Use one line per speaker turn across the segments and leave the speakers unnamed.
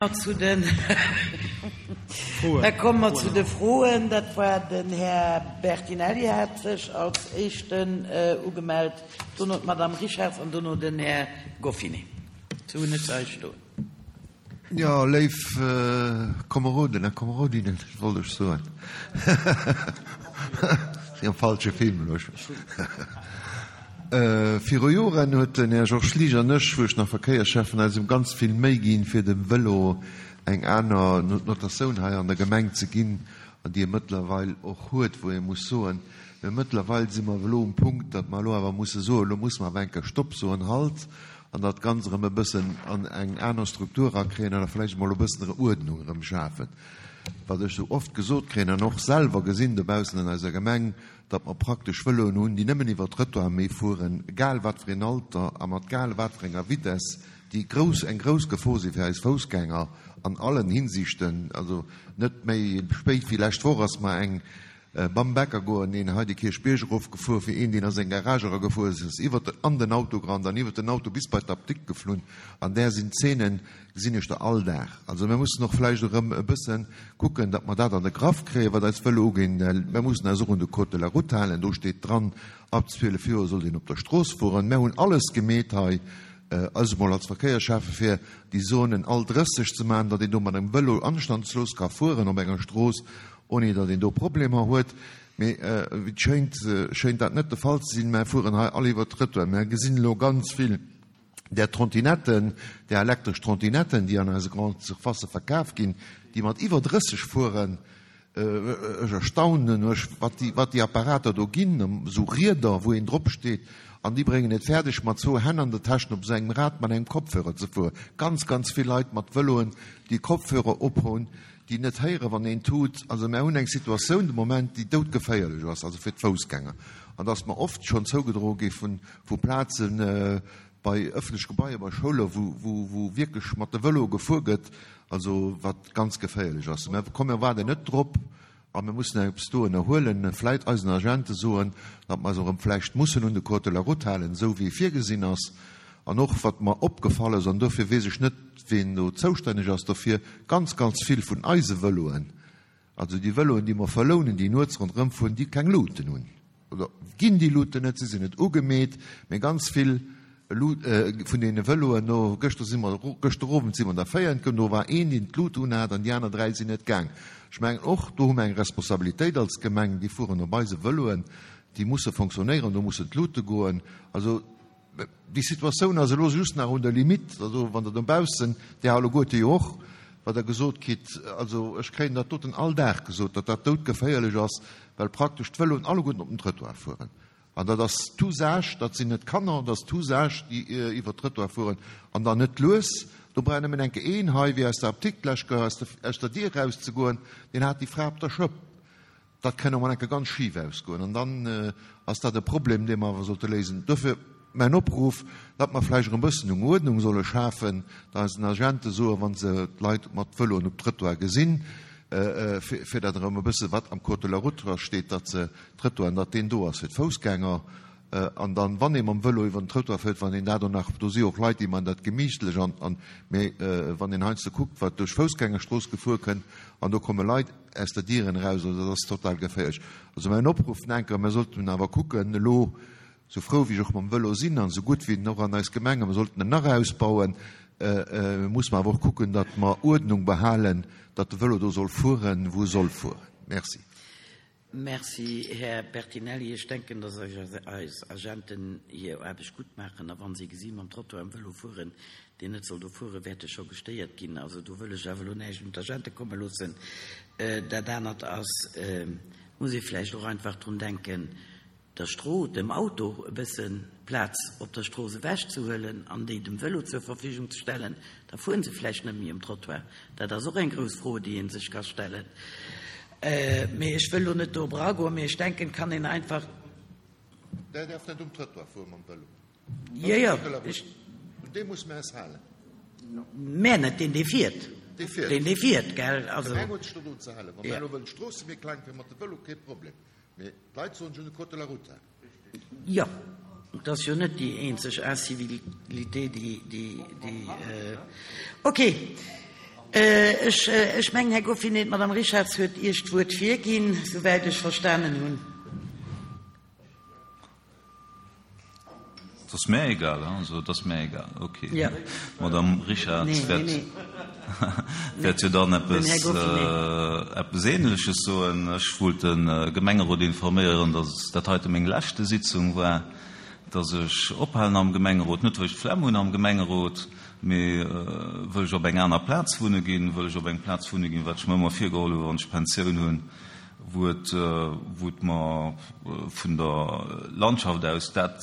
Zu den, da komme mer zu de Froen. Dat war den Här Bertinelli hat sech als Éischten ugemellt, dono d'Madame Richarz an dono den Här Goffinet. Sou hunn ech se hei stoen.
Jo, léif Komeroden a Komerodinnen, wollt ech soen. Sinn am falsche Film elo. Viru Joren huet den Här Georges Liesch an ech, wou ech nach Verkéierschäffen, eis ëm ganz vill Méi ginn, fir dem Vëlo eng aner Notatioun hei an der Gemeng ze ginn, an déi e mëttlerweil och huet, wou ee muss soen, mä mëttlerweil si mer elo um Punkt, datt mer elo awer musse soen, elo musse mer awer eng Kéier Stopp soen, Halt, an dat Ganzt erëm e bëssen an eng aner Struktur erakréien an da vläicht emol e bëssen Uerdnung erëm schafen. Wat ech esou oft gesot kréien an och selwer gesinn dobaussen an eiser Gemeng, datt mer praktesch Vëloen hunn, déi nëmmen iwwer Trëttoir méi fueren, egal wat fir een Alter a mat gal wat fir enger Vitesse, déi grouss, eng grouss Gefor si fir eis Foussgänger an allen Hinsichten. Also net méi spéit wéi lescht Woch ass mer eng beim Bäcker goen, een hei de Kierchbierg erofgefuer, fir een, deen a seng Garage eragefuer ass, ass iwwer den, an den Auto gerannt an iwwer den Auto bis bei d'Apdikt geflunn. An där sinn Zeenen, gesinn ech der all Dag. Also mir mussen och vläicht erëm e bësse kucken, datt mer dat an de Graff kréien, wat eis Vëlo uginn. Mir mussen eis och un de Code de la route halen. Do steet dran, ab 12 Joer sollt een op der Strooss fueren. Mir hunn alles gemeet hei, also mol als Verkéierschäffe fir déi Zonen all 30 ze maachen, datt een do mat engem Vëlo anstandslos ka fueren op enger Strooss, ouni datt een do Problemer huet. Mee wéi et schéint, schéint dat net de Fall ze sinn. Mer fueren hei all iwwert d'Trëttoir. Mer gesinn elo ganz vill Där Trottinetten, där elektresch Trottinetten, déi an eise Grande Surfacë verkaf ginn, déi mat iwwer 30 fueren, ech erstaunen mech, wat déi, wat déi Apparater do ginn, esou Rieder, wou een drop steet, an déi bréngen et fäerdeg, mat zwou Hänn an der Täschen op esou engem Rad mat engem Kopfhörer ze fueren. Ganz, ganz vill Leit mat Vëloen, déi Kopfhörer ophunn, déi net héieren, wann een tut. Also mär hunn eng Situatioun de Moment, déi doudgeféierlech ass, also fir d'Foussgänger. An et ass mer oft schonn zougedroe gi vun, vu Plazen bei ëffentlech Gebaier, bei Schoulen, wou wierklech mat de Vëloe gefuer gëtt, also wat ganz geféierlech ass. Mä komm, mir waarden net drop a mir mussen eppes do ënnerhuelen, vläit eisen Agente soen, datt mer eis erëm vläicht mussen un de Code de la route halen, esou wéi e virgesinn ass. An och wat mer opgefall ass, an dofir weess ech net, ween do zoustänneg ass dofir, ganz, ganz vill vun eise Vëloen, Also déi Vëloen, déi mer verlounen, déi nuets ronderëm fueren, déi keng Luuten hunn, oder ginn déi Luuten net, si sinn net ugemeet, mee ganz vill vun deene Vëloen, no gëschter si mer, gëschter Owend si mer der 4 entgéint, do war een, deen d'Lut unhat an déi aner 3 sinn net gaang. Ech mengen och, do hu mer eng Responsabilitéit als Gemeng, déi fueren op eise Vëloen, déi musse fonctionnéieren, do mussen d'Lute goen. Also Déi Situatioun ass elo just nach un der Limite, also wann Der dobaussen, Dir alleguerte jo och, wat Der gesot kritt, also ech kréien dat doten all Dag gesot, datt dat doudgeféierlech ass, well praktesch d'Vëloen alleguerten op den Trëttoir fueren. An dat ass tous âges, dat sinn net Kanner, dat ass tous âges, déi iwwert d'Trëttoir fueren an dann net lues. Do brauch nëmmen enke een hei, wéi aus der Apdikt lech aus der Dier erauszegoen, deen hat déi Fra op der Schëpp. Dat kann och mol enke ganz schif ausgoen an dann ass dat e Problem, dee mer awer sollte léisen. Dofir mäin Opruff, datt mer vläicht erëm e bëssen eng Uerdnung solle schafen, datt eisen Agente soen, wa se d'Leit mat Vëloen op Trëttoir gesinn, fir dat erëm e bësse wat am Code de la route dra steet, datt se Trëttoiren, datt deen do ass fir d'Foussgänger an dann, wann ee mam Vëlo iwwer den Trëttoir fiert, wann een dat och nach, do si och Leit, déi man dat gemiichtlech an, an, mee wann een heiansdo kuckt, wat duerch Foussgängerstrooss gefuer kënnt an do komme Leit, aus der Dieren eraus, also dat ass total geféierlech. Also mäin Opruff, Nenker, mir sollten awer kucken elo, esou frou wéi ech och mam Vëlo sinn an esou gutt wéi en och an eis Gemeng, a mir sollten en nach ausbauen, muss mer awer och kucken, datt mer Uerdnung behalen, datt de Vëlo do soll fueren, wou e soll fueren. Merci.
Merci, Här Bertinelli. Ech denken, dass eis Agenten hir Aarbecht gutt maachen. A wa si gesi mam Trottoir am Vëlo fueren, deen net soll do fueren, wäerte scho gestéiert ginn. Also do wëll ech awer elo näischt un d'Agente komme loossen. Dat anert ass, muss ee vläicht och einfach drun denken, der Stroo, dem Auto e bësse Plaz op der Strooss ewechzehuelen an déi dem Vëlo zur Verfügung ze stellen, da fueren se vläicht net méi um Trottoir. Dat ass och eng grouss Fro, déi ee sech ka stellen. Mee ech wëll elo net do eragoen, mee ech denken, et kann een einfach.
Der däerf net um Trottoir fuere mam Vëlo.
Jo, jo, ech.
Un dee musse mir eis halen.
Mä net deen, dee fiert.
Dee fiert.
Deen, dee fiert, gell. Also.
D'Gemeng huet sech do drun ze halen. Wa mir elo wëllen d'Stroosse méi kleng fir mat de Vëlo, kee Problem. Mee d'Leit soen, ech hunn de Code de la route halen.
Jo, et ass jo net déi eenzeg Incivilité, déi, déi, déi. Ok. Ech mengen, Här Goffinet, d'Madame Richarz huet Iech d'Wuert virginn, souwäit ech verstanen hunn.
Et ass mär egal, also et ass mär egal. Ok, d'Madame Richarz wäert jo dann eppes Ähnleches soen. Ech wollt de Gemengerot informéieren, dass dat heite meng leschte Sitzung war, dass ech ophalen am Gemengerot, net wëll ech d'Flemm hunn am Gemengerot, mee wëll ech op eng aner Plaz wunne ginn, wëll ech op eng Plaz wunne ginn, wat ech mer ëmmer virgeholl hunn, wann ech Pensioun hunn, wou et wou et mer vun der Landschaft aus dat,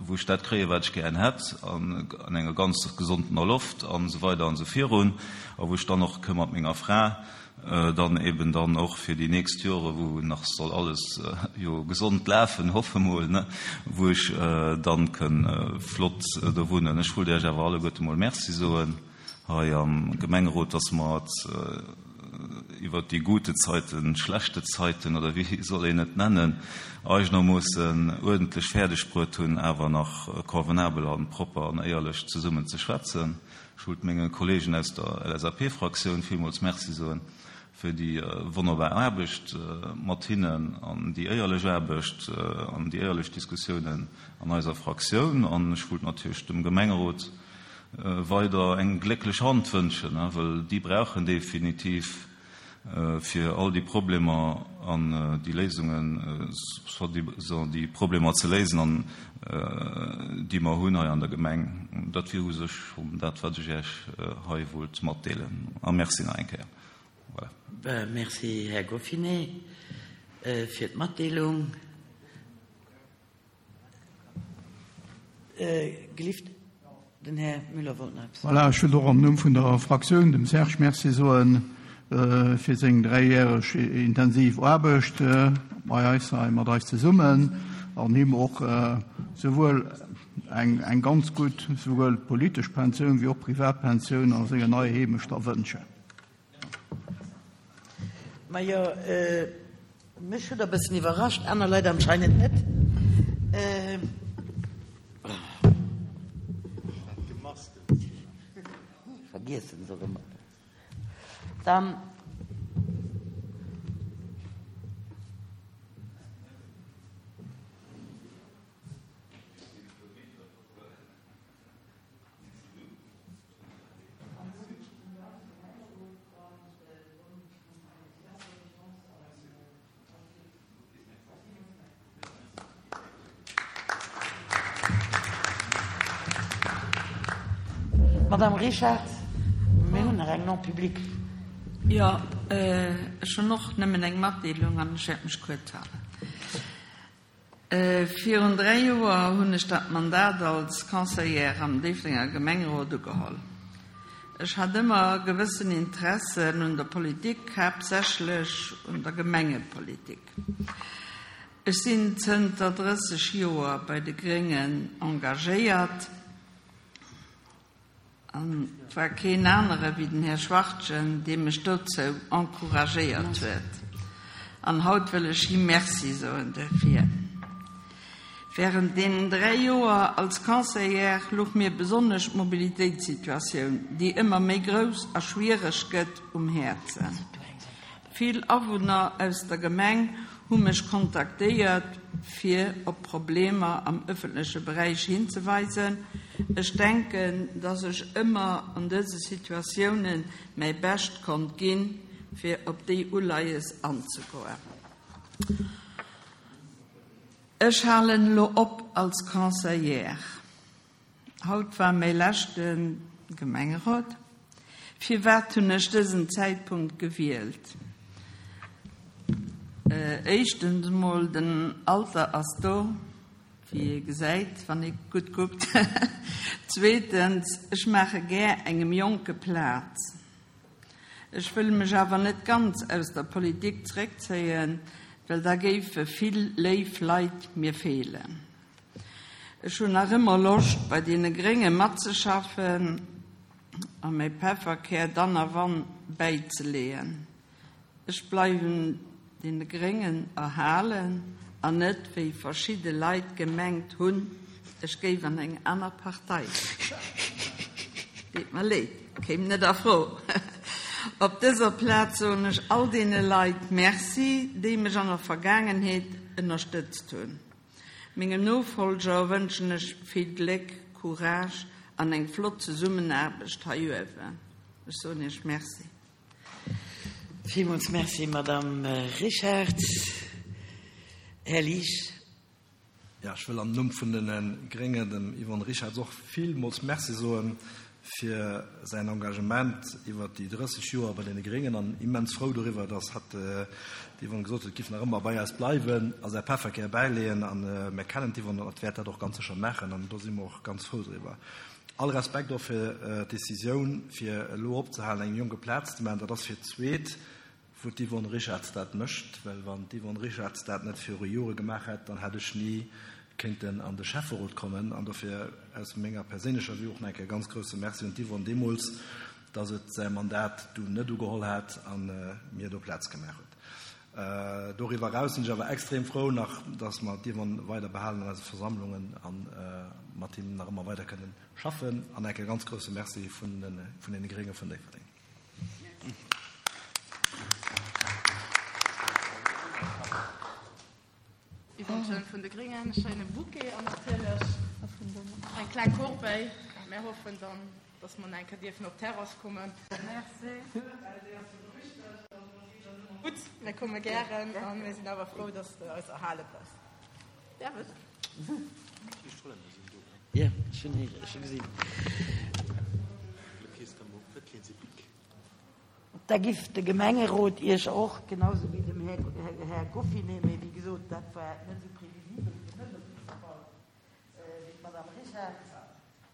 wou ech dat kréien, wat ech gären hätt, an an enger ganz gesondener Loft an esou weider an esou virun, a wou ech dann och ka mat menger Fra dann eben dann och fir déi nächst Jore, wou nach soll alles jo gesond lafen, hoffe mol, ne, wou ech dann kënn flott do wunnen. Ech wollt Iech awer alleguerte mol Merci soen hei am Gemengerot, dass mer et iwwert déi gute Zeiten, schlechte Zeiten oder wéi soll een et nennen, eigenermoossen uerdentlech fäerdeg bruet hunn, awer nach convenabel a propper an éierlech zesummen ze schwätzen. Ech wollt menge Kollegen aus der LSAP-Fraktioun villmools Merci soen fir déi wonnerbar Aarbecht mat hinnen an déi éierlech Aarbecht an déi éierlech Diskussiounen an eiser Fraktioun. An ech wollt natierlech dem Gemengerot weider eng glécklech Hand wënschen, wëll déi brauchen definitiv fir all déi Problemer an déi Léisungen, soi-disant déi Problemer ze léisen an déi mer hunn hei an der Gemeng. Dat wier u sech schonn dat, wat ech Iech hei wollt matdeelen. A Merci nach eng Kéier.
Voilà. Merci, Här Goffinet, fir d'Matdeelung. Gelift, den Här Müller wollt nach eppes soen.
Voilà, ech wëll och am Numm vun der Fraktioun dem Serge Merci soe fir seng dräijäreg intensiv Aarbecht bei eis hei, mat eis zesummen, an him och souwuel eng ganz gutt souwuel politesch Pensioun wéi och privat Pensioun a senger neier Heemecht da wënschen.
Majo, mech hutt der e bëssen iwwerrascht, aner Leit anscheinend net. Vergiessen se erëm. Dann. Madame Richard, mir hunn nach eng non publique.
Jo, ech hunn och nëmmen eng Matdeelung an ech wäert mech kuerz halen. Virun 3 Joer hunn ech dat Mandat als Conseillère am Déifferdenger Gemengerot ugeholl. Ech hat ëmmer gewëssen Interessen un der Politik, haaptsächlech un der Gemengepolitik. Ech sinn zënter 30 Joer bei de Gréngen engagéiert. An et war keen anere wéi den Här Schwachtgen, dee mech dozou encouragéiert huet. An haut wëll ech him Merci soen duerfir. Während deenen 3 Joer als Conseillère louch mir besonnesch d'Mobilitéitssituatioun, déi ëmmer méi grouss a schwiereg gëtt, um Häerzen. Vill Awunner aus der Gemeng hu mech kontaktéiert, fir op Problemer am ëffentleche Beräich hinzeweisen. Ech denken, dass ech ëmmer an dëse Situatiounen mäi Bescht konnt ginn, fir op déi Uleies anzegoen. Ech halen elo op als Conseillère. Haut war mäi leschte Gemengerot. Firwat hunn ech dësen Zäitpunkt gewielt? Éischtens emol, den Alter ass do, wéi ee gesäit, wann ee gutt kuckt. Zweetens, ech maache gär engem Jonke Plaz. Ech wëll mech awer net ganz aus der Politik zeréckzéien, well da géife vill léif Leit mir feelen. Ech hunn nach ëmmer Loscht bei deene Grénge matzeschaffen a mäi Pefferkär dann a wann bäizeleeën. Ech bleiwen deene Gréngen erhalen an net wéi verschidde Leit gemengt hunn, ech géif an eng aner Partei. Deet mer leed. Kéim net a Fro. Op dëser Plaz soen ech all deene Leit Merci, déi mech an der Vergaangenheet ënnerstëtzt hunn. Mengem Nofolger wënschen ech vill Gléck, Courage an eng flott Zesummenaarbecht hei uewen. Ech soen Iech Merci.
Villmools Merci, Madamm Richard. Här Liesch.
Jo, ech wëll am Numm vun de Gréngen dem Yvonne Richarz och villmools Merci soe fir säin Engagement iwwert déi 30 Joer bei deene Gréngen an immens frou doriwwer, dass hatt, d'Yvonne gesot huet, giff nach ëmmer bei eis bleiwen a säi Pefferkär bäileeën. A mir kennen d'Yvonne an hatt wäert dat och ganz sécher maachen an do si mer och ganz frou driwwer. All Respekt och fir d'Decisioun, fir elo opzehalen, engem Jonke Plaz ze maachen. Dat ass fir d'zweet wou d'Yvonne Richarz dat mécht, well wann d'Yvonne Richarz dat net viru Jore gemaach hätt, dann hätt ech ni kéinten an de Schäfferot kommen. An dofir aus menger perséinlecher Vue och nach eng Kéier e ganz grouse Merci un d'Yvonne deemools, dass et säi Mandat dunn net ugeholl hat a mir do Plaz gemaach huet. Doriwwer eraus sinn ech awer extrem frou nach, dass mer d'Yvonne weider behalen an eise Versammlungen a mat him nach ëmmer weider kënnen schaffen. An eng Kéier e ganz grouse Merci vun deene Grénge vun Déifferdeng.
Yvonne Schön vun de Gringen, schéine Bouquet an natierlech eng kleng Corbeille. Mär hoffen dann, dass mer nach eng Kéier dierfen op d'Terrass kommen. Merci. Gutt, mär komme gären a mir sinn awer frou, dass de eis erhale bleifs. Däerf ech?
Jo, ech hunn ech hu gesinn. Da giff de Gemengerot Iech och, genau sou wéi dem Här Goffinet, mee wéi gesot, dat war net esou previsibel fir mech op jidde Fall, wéi d'Madame Richard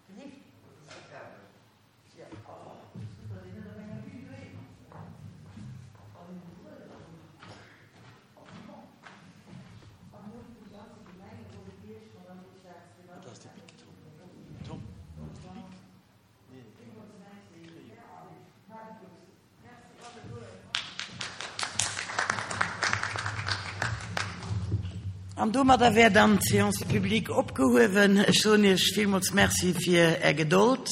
gelift. An domadder wär dann d'Séance publique opgehuewen. Ech soen Iech villmools Merci fir Är Gedold.